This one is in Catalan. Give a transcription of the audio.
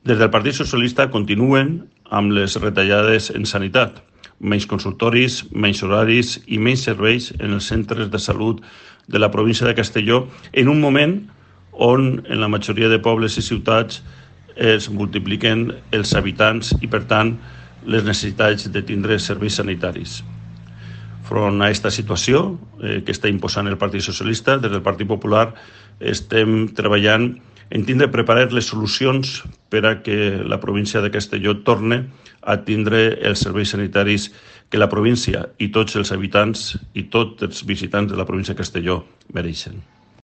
Des del Partit Socialista continuen amb les retallades en sanitat, menys consultoris, menys horaris i menys serveis en els centres de salut de la província de Castelló, en un moment on en la majoria de pobles i ciutats es multipliquen els habitants i, per tant, les necessitats de tindre serveis sanitaris. Front a aquesta situació que està imposant el Partit Socialista, des del Partit Popular estem treballant en tindre preparar les solucions per a que la província de Castelló torne a tindre els serveis sanitaris que la província i tots els habitants i tots els visitants de la província de Castelló mereixen.